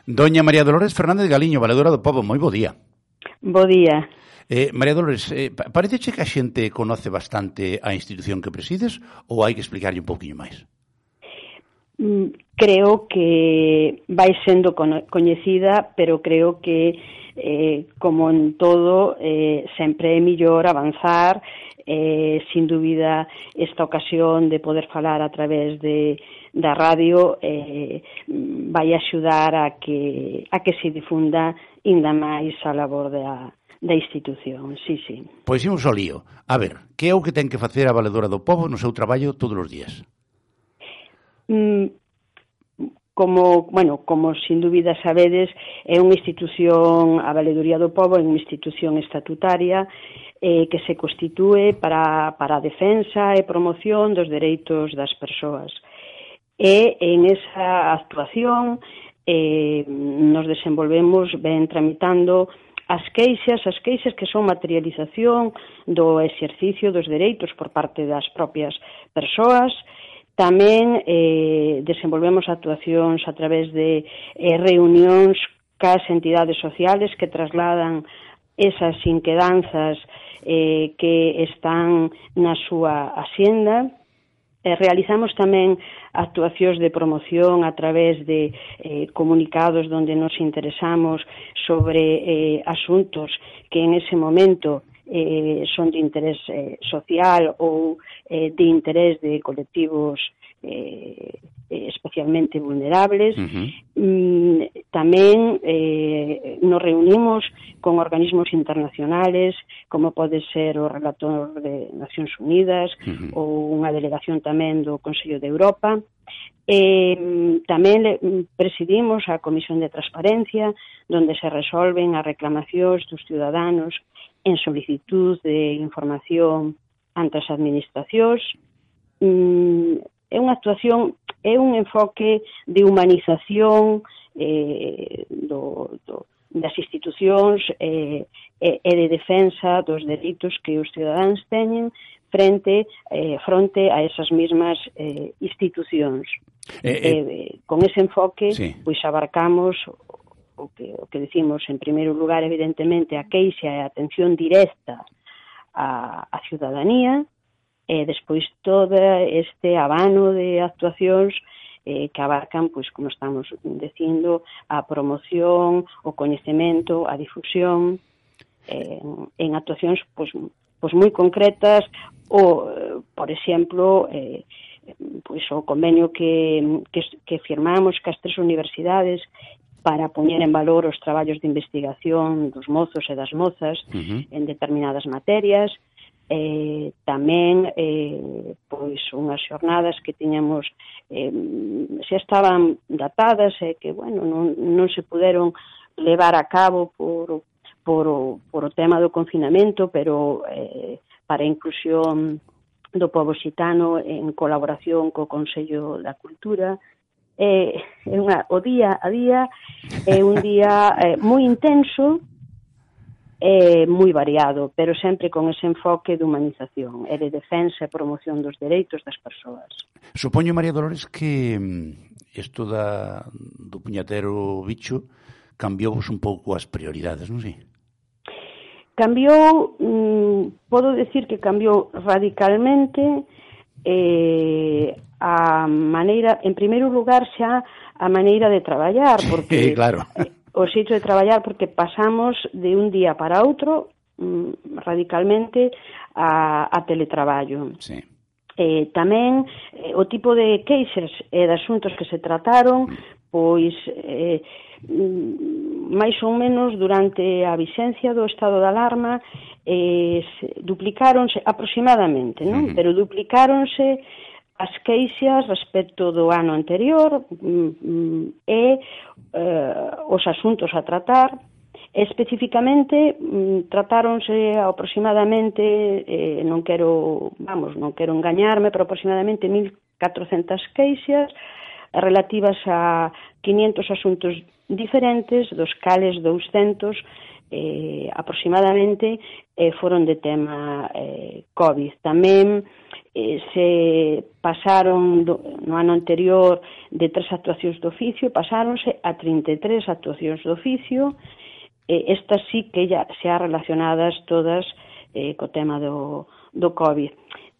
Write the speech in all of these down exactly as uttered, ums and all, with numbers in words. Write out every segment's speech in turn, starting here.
Doña María Dolores Fernández Galiño, valedora do Pobo, moi bo día. Bo día. Eh, María Dolores, eh, parece que a xente conoce bastante a institución que presides ou hai que explicarlle un pouquiño máis? Creo que vai sendo coñecida, pero creo que, eh, como en todo, eh, sempre é millor avanzar. Eh, sin dúbida, esta ocasión de poder falar a través de da radio eh, vai axudar a que a que se difunda ainda máis a labor da, da institución, sí, sí. Pois imos ao lío. A ver, que é o que ten que facer a valedora do Pobo no seu traballo todos os días? Mm, como, bueno, como sin dúbida sabedes, é unha institución, a Valedoría do Pobo é unha institución estatutaria eh, que se constitúe para, para a defensa e promoción dos dereitos das persoas. E en esa actuación eh, nos desenvolvemos ben tramitando as queixas, as queixas que son materialización do exercicio dos dereitos por parte das propias persoas. Tamén eh, desenvolvemos actuacións a través de eh, reunións cas entidades sociales que trasladan esas inquedanzas eh, que están na súa axenda. Eh, realizamos tamén actuacións de promoción a través de eh, comunicados onde nos interesamos sobre eh, asuntos que en ese momento eh, son de interés eh, social ou eh, de interés de colectivos eh, especialmente vulnerables. Uh-huh. Mm, tamén eh, nos reunimos con organismos internacionales, como pode ser o relator de Nacións Unidas, uh-huh, ou unha delegación tamén do Consello de Europa. Eh, tamén presidimos a Comisión de Transparencia, onde se resolven as reclamacións dos ciudadanos en solicitud de información ante as administracións. Mm, é unha actuación, é un enfoque de humanización eh, do, do, das institucións eh, e de defensa dos dereitos que os cidadáns teñen frente eh, fronte a esas mesmas eh, institucións. Eh, eh, eh, con ese enfoque, sí, pois abarcamos o que, o que decimos, en primeiro lugar, evidentemente, a queixa e a atención directa á, á ciudadanía, e despois todo este abano de actuacións eh, que abarcan, pois, como estamos dicindo, a promoción, o coñecemento, a difusión, eh, en actuacións pois, pois moi concretas, ou, por exemplo, eh, pois o convenio que, que, que firmamos cas tres universidades para poñer en valor os traballos de investigación dos mozos e das mozas, uh-huh, en determinadas materias. Eh, tamén eh, pois unhas xornadas que tiñamos eh, xa estaban datadas e eh, que, bueno, non, non se puderon levar a cabo por, por, o, por o tema do confinamento, pero eh, para a inclusión do pobo xitano en colaboración co Consello da Cultura. Eh, é unha, o día a día é un día eh, moi intenso, é moi variado, pero sempre con ese enfoque de humanización e de defensa e promoción dos dereitos das persoas. Supoño, María Dolores, que isto da, do puñatero bicho cambiou un pouco as prioridades, non sei? Cambiou, mmm, podo decir que cambiou radicalmente eh, a maneira, en primeiro lugar xa a maneira de traballar, porque... Sí, claro. O xeito de traballar, porque pasamos de un día para outro mmm, radicalmente a, a teletraballo. Sí. Eh, tamén eh, o tipo de queixas e de asuntos que se trataron, pois eh, máis ou menos durante a vixencia do estado de alarma eh, duplicáronse aproximadamente, non? Uh-huh. Pero duplicáronse as queixas respecto do ano anterior mm, e eh, os asuntos a tratar. Especificamente mm, tratáronse aproximadamente, eh, non quero, vamos, non quero engañarme, pero aproximadamente mil catrocentas queixas relativas a quinientos asuntos diferentes, dos cales douscentos eh, aproximadamente eh, foron de tema eh, COVID. Tamén eh, se pasaron do, no ano anterior de tres actuacións de oficio, pasáronse a trinta e tres actuacións de oficio. Eh, estas sí que ya se ha relacionadas todas eh, co tema do, do COVID.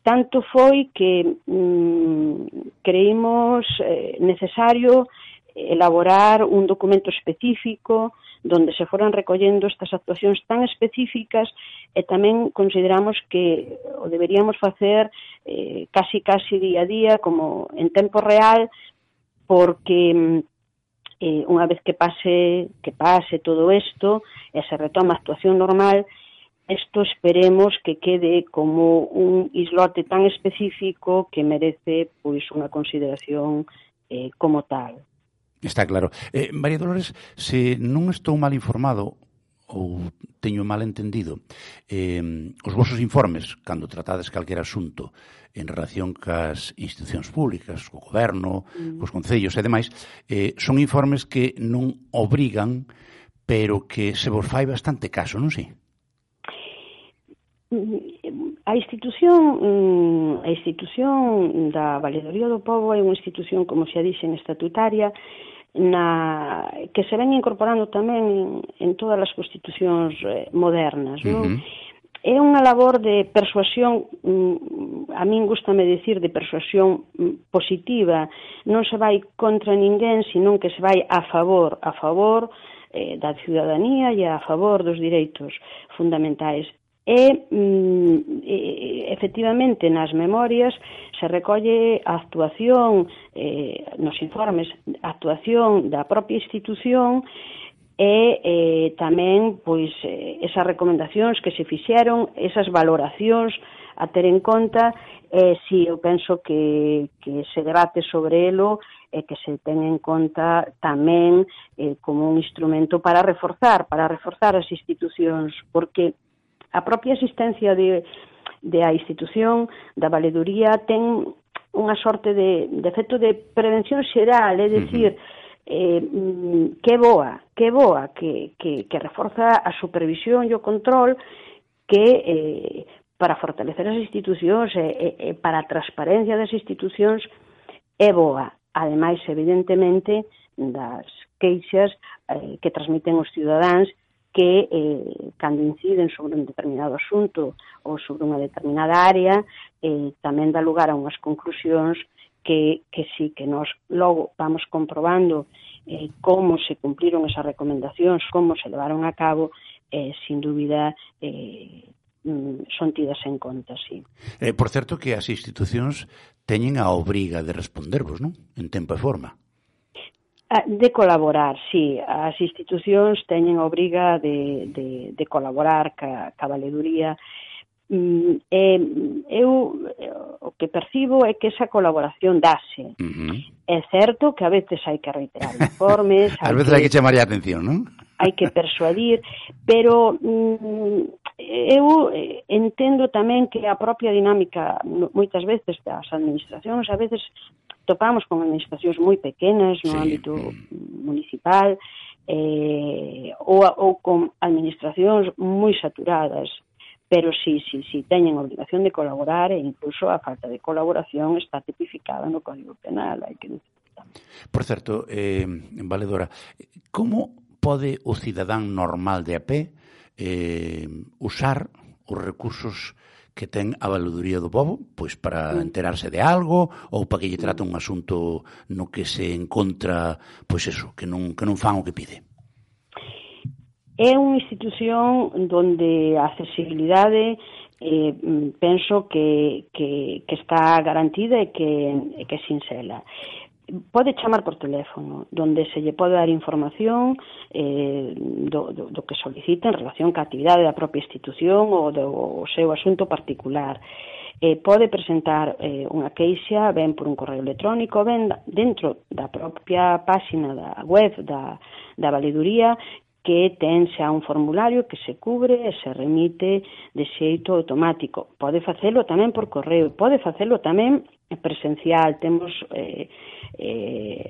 Tanto foi que mm, creímos eh, necesario elaborar un documento específico donde se foran recollendo estas actuacións tan específicas, e tamén consideramos que o deberíamos facer eh, casi casi día a día, como en tempo real, porque eh, unha vez que pase que pase todo isto e se retoma a actuación normal, isto esperemos que quede como un islote tan específico que merece pois unha consideración eh, como tal. Está claro. Eh, María Dolores, se non estou mal informado ou teño mal entendido, eh, os vosos informes, cando tratades calquer asunto en relación cas institucións públicas, co goberno, mm. cos concellos e demais, eh, son informes que non obrigan, pero que se vos fai bastante caso, non sei? A institución a institución da Valedoría do Pobo é unha institución, como xa dixen, estatutaria, na que se ven incorporando tamén en, en todas as constitucións eh, modernas, non? Uh-huh. É unha labor de persuasión, a min gustame dicir, de persuasión positiva. Non se vai contra ninguén, senón que se vai a favor, a favor eh, da ciudadanía e a favor dos direitos fundamentais. E, mm, e, efectivamente, nas memorias se recolle a actuación, eh, nos informes, a actuación da propia institución e eh, tamén pois, eh, esas recomendacións que se fixeron, esas valoracións a ter en conta, e eh, si eu penso que, que se debate sobre elo e que se ten en conta tamén eh, como un instrumento para reforzar, para reforzar as institucións, porque a propia existencia de, de a institución da valeduría ten unha sorte de, de efecto de prevención xeral, é dicir, uh-huh. eh, que boa, que boa, que, que, que reforza a supervisión e o control, que eh, para fortalecer as institucións e, e, e para a transparencia das institucións é boa. Ademais, evidentemente, das queixas eh, que transmiten os cidadáns, que eh, cando inciden sobre un determinado asunto ou sobre unha determinada área, eh, tamén dá lugar a unhas conclusións que, que sí, que nós logo vamos comprobando eh, como se cumpliron esas recomendacións, como se levaron a cabo, eh, sin dúbida eh, son tidas en conta, sí. Eh, por certo que as institucións teñen a obriga de respondervos, non? En tempo e forma. De colaborar, sí. As institucións teñen a obriga de, de, de colaborar ca, ca valeduría. Mm, eh, eu o que percibo é que esa colaboración dáse. Uh-huh. É certo que a veces hai que reiterar informes. Ás veces hai que chamar a atención, non? Hai que persuadir, pero mm, eu entendo tamén que a propia dinámica, moitas veces, das administracións, a veces topamos con administracións moi pequenas no sí. ámbito municipal eh, ou, ou con administracións moi saturadas, pero sí, sí, sí, teñen a obligación de colaborar e incluso a falta de colaboración está tipificada no Código Penal, hai que decir. Por certo, eh, Valedora, como pode o cidadán normal de a pé eh, usar os recursos que ten a Valedoría do Pobo, pois para enterarse de algo ou para que lle trate un asunto no que se encontra, pois eso, que non, que non fan o que pide? É unha institución onde a accesibilidade eh, penso que, que, que está garantida e que, e que é sinxela. Pode chamar por teléfono, donde se lle pode dar información eh, do, do, do que solicita en relación ca actividade da propia institución ou do seu asunto particular. Eh, pode presentar eh, unha queixa, ben por un correo electrónico, ben dentro da propia páxina da web da, da valeduría, que ten xa un formulario que se cubre e se remite de xeito automático. Pode facelo tamén por correo, pode facelo tamén presencial. Temos eh, eh,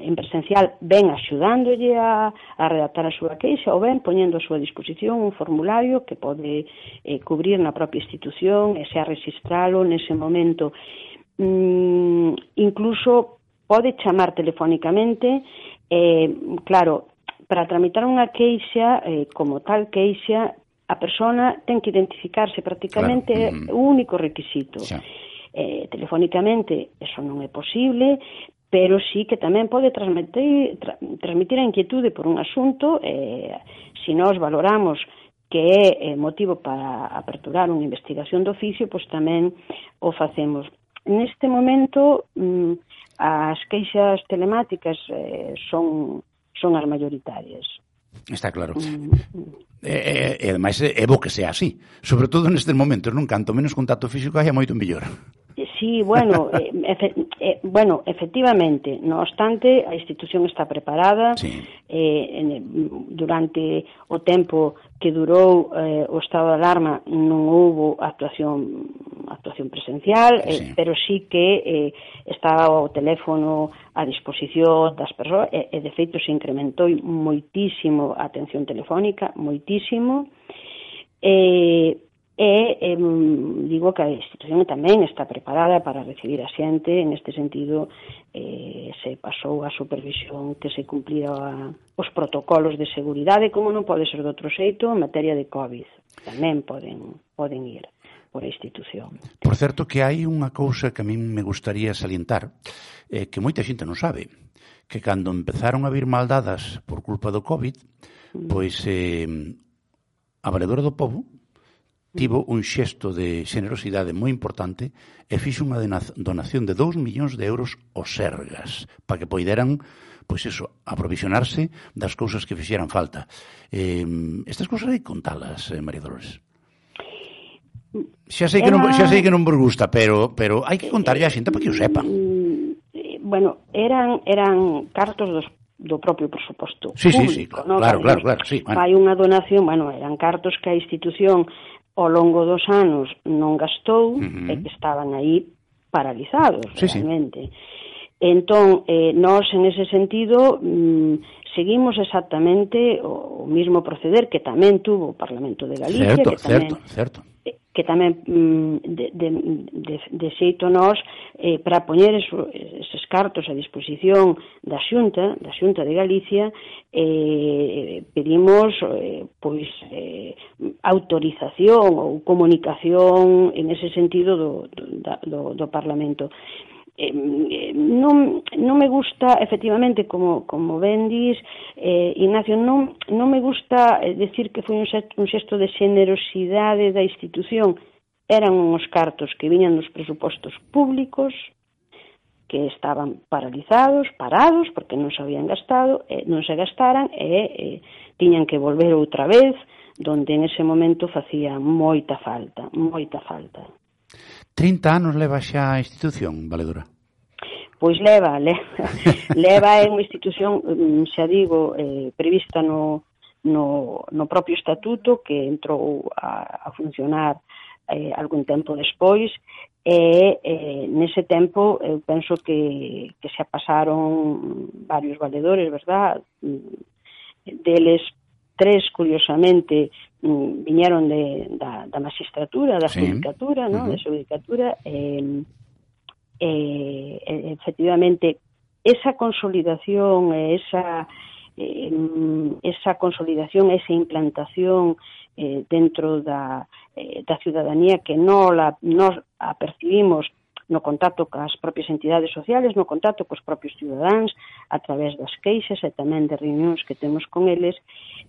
en presencial ben axudándolle a, a redactar a súa queixa ou ben poñendo a súa disposición un formulario que pode eh, cubrir na propia institución e xa registralo nese momento. Mm, incluso pode chamar telefónicamente, eh, claro, para tramitar unha queixa, eh, como tal queixa, a persona ten que identificarse prácticamente, claro. É o único requisito. Sí. Eh, telefónicamente, eso non é posible, pero sí que tamén pode transmitir, tra, transmitir a inquietude por un asunto, eh, se nós valoramos que é eh, motivo para aperturar unha investigación de oficio, pois tamén o facemos. Neste momento, mm, as queixas telemáticas eh, son... son as maioritarias. Está claro. Mm. E, e, ademais, é bo que sea así. Sobre todo nestes momentos, non? Canto menos contacto físico haya moito mellor. Sí, bueno, eh, efe, eh, bueno, efectivamente, no obstante, a institución está preparada. Sí. Eh, en, durante o tempo que durou eh, o estado de alarma non houbo actuación actuación presencial, sí. eh, pero sí que eh, estaba o teléfono a disposición das persoas e, e de feito se incrementou moitísimo a atención telefónica, moitísimo. Eh, E eh, digo que a institución tamén está preparada para recibir a xente. En este sentido, eh, se pasou a supervisión que se cumplira os protocolos de seguridade, como non pode ser de outro xeito, en materia de COVID. Tamén poden, poden ir por a institución. Por certo, que hai unha cousa que a min me gustaría salientar, eh, que moita xente non sabe, que cando empezaron a vir maldadas por culpa do COVID, mm. pois eh, a Valedora do Pobo tivo un xesto de xenerosidade moi importante e fixo unha donación de dous millóns de euros aos Sergas para que poideran, pois iso, aprovisionarse das cousas que fixeran falta. Eh, estas cousas hai que contalas, eh, María Dolores. Xa sei que non, xa sei que non vos gusta, pero pero hai que contarlle a xente para que o sepan. Bueno, eran eran cartos dos do propio presuposto sí, público, sí, sí, claro, ¿no? claro, claro, claro, sí, bueno. Hai unha donación, bueno, eran cartos que a institución ao longo dos anos non gastou, uh-huh. e que estaban aí paralizados, sí, realmente. Sí. Entón, eh, nós, en ese sentido, mm, seguimos exactamente o, o mismo proceder que tamén tuvo o Parlamento de Galicia, certo, que tamén, certo, certo. que tamén mm, de, de, de, de xeito nós, eh, para poñer eso, eses cartos a disposición da Xunta, da Xunta de Galicia, eh, pedimos eh, pois eh, autorización ou comunicación en ese sentido do, do, do Parlamento. Eh, non, non me gusta, efectivamente, como, como ben dis, eh, Ignacio, non, non me gusta decir que foi un xesto, un xesto de xenerosidade da institución. Eran uns cartos que viñan dos presupostos públicos, que estaban paralizados, parados, porque non se habían gastado, eh, non se gastaran, e eh, tiñan que volver outra vez, donde en ese momento facía moita falta, moita falta. trinta anos leva xa a institución, Valedora? Pois leva, leva, leva é unha institución, xa digo, eh, prevista no, no, no propio estatuto, que entrou a, a funcionar eh, algún tempo despois, e eh, nese tempo eu penso que, que se pasaron varios valedores, verdad? Deles tres, curiosamente, viñeron de, da, da magistratura, da sí. Judicatura, ¿no? Uh-huh. Da Judicatura, eh, eh, efectivamente, esa consolidación, esa, eh, esa consolidación, esa implantación eh, dentro da, eh, da ciudadanía que non la, nos apercibimos no contacto cas propias entidades sociales, no contacto cos propios cidadáns, a través das queixas e tamén de reunións que temos con eles,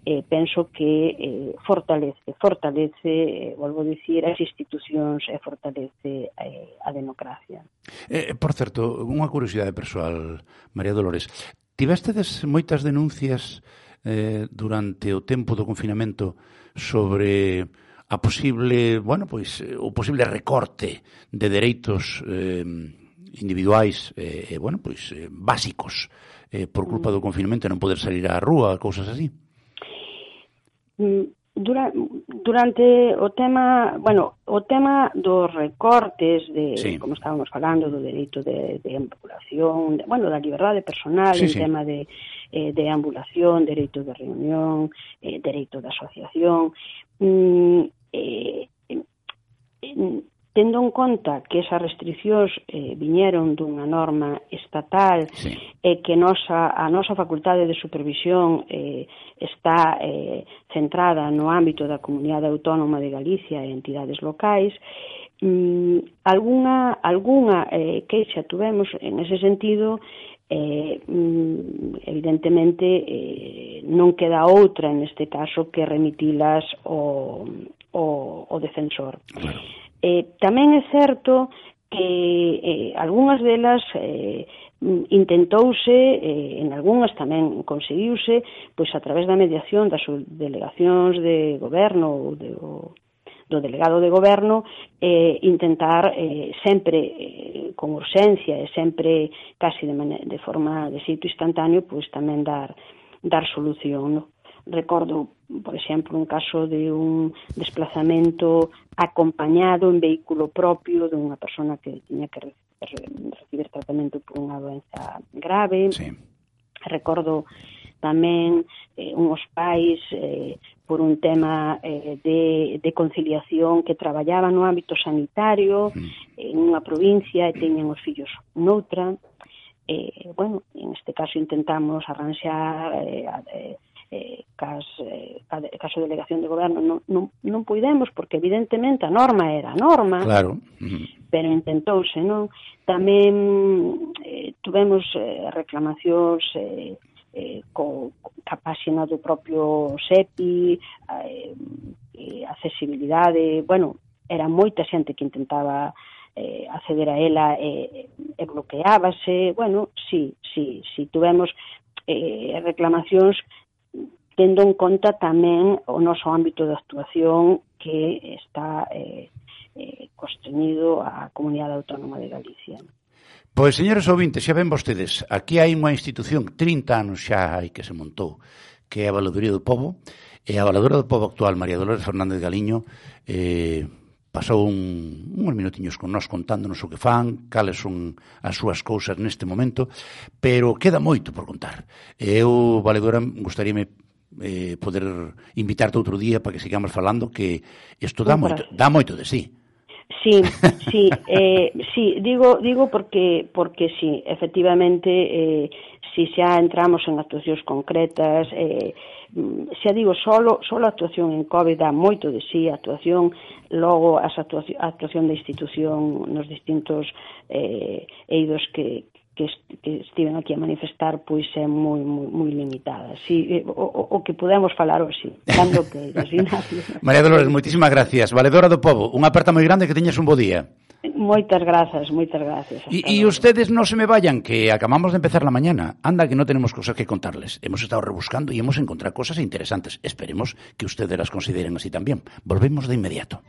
eh, penso que eh, fortalece, fortalece, eh, volvo a dicir, as institucións e fortalece eh, a democracia. Eh, por certo, unha curiosidade persoal, María Dolores, tivestedes moitas denuncias eh, durante o tempo do confinamento sobre a posible, bueno, pois, o posible recorte de dereitos eh, individuais, eh, bueno, pois, eh, básicos, eh, por culpa do confinamento, non poder salir á rúa, cousas así? Dura, durante o tema, bueno, o tema dos recortes de, sí. como estábamos falando, do dereito de, de ambulación, de, bueno, da liberdade personal, sí, en sí. tema de, eh, de ambulación, dereito de reunión, eh, dereito de asociación, mm, eh, eh, tendo en conta que esas restriccións eh, viñeron dunha norma estatal sí. e que nosa, a nosa facultade de supervisión eh, está eh, centrada no ámbito da Comunidade Autónoma de Galicia e entidades locais, mm, algunha, algunha eh, queixa tuvemos en ese sentido. Eh, evidentemente eh, non queda outra neste caso que remitilas ao, ao, ao defensor. Claro. Eh, tamén é certo que eh, algunhas delas eh, intentouse, eh, en algunhas tamén conseguiuse, pois a través da mediación das delegacións de goberno ou de, o, do delegado de goberno, eh, intentar eh, sempre eh, con urxencia e sempre casi de, de forma de xeito instantáneo, pois tamén dar, dar solución, no? Recordo, por exemplo, un caso de un desplazamento acompañado en vehículo propio de unha persona que tiña que recibir tratamento por unha doenza grave. Sí. Recordo tamén eh, unhos pais eh, por un tema eh, de, de conciliación que traballaban no ámbito sanitario mm. en unha provincia e teñen os fillos noutra. Eh, bueno, en este caso intentamos arranxar eh, eh, eh, cas, eh, caso de delegación de goberno non, non, non puidemos porque evidentemente a norma era a norma, claro. uh-huh. pero intentouse, non? Tamén eh, tuvemos eh, reclamacións eh, eh, co, ca páxina do propio S E P I, eh, eh, accesibilidade, bueno, era moita xente que intentaba eh, acceder a ela e, e bloqueábase, bueno, sí, sí, sí, tuvemos eh, reclamacións tendo en conta tamén o noso ámbito de actuación que está eh, eh, constreñido á Comunidade Autónoma de Galicia. Pois, señores ouvintes, xa ven vostedes, aquí hai unha institución, trinta anos xa hai que se montou, que é a Valadoría do Pobo, e a Valadora do Pobo actual, María Dolores Fernández Galiño, eh, pasou un, uns minutiños con nós contándonos o que fan, cales son as súas cousas neste momento, pero queda moito por contar. Eu, Valedora, gustaríame eh, poder invitarte outro día para que sigamos falando, que isto dá moito, dá moito de sí. Sí, sí, eh, sí, digo digo porque porque sí, efectivamente, eh, si xa entramos en actuacións concretas, eh, xa digo, solo, solo a actuación en COVID dá moito de sí, a actuación, logo as actuación, a actuación da institución nos distintos eh, eidos que, que, que estiven aquí a manifestar, pois é moi, moi, moi limitada. Si, o, o, o que podemos falar hoxe, cando que Ignacio. María Dolores, moitísimas gracias. Valedora do Pobo, unha aperta moi grande, que teñas un bo día. Moitas grazas, moitas gracias. Y, y ustedes no se me vayan, que acabamos de empezar la mañana. Anda, que no tenemos cosas que contarles. Hemos estado rebuscando y hemos encontrado cosas interesantes. Esperemos que ustedes las consideren así también. Volvemos de inmediato.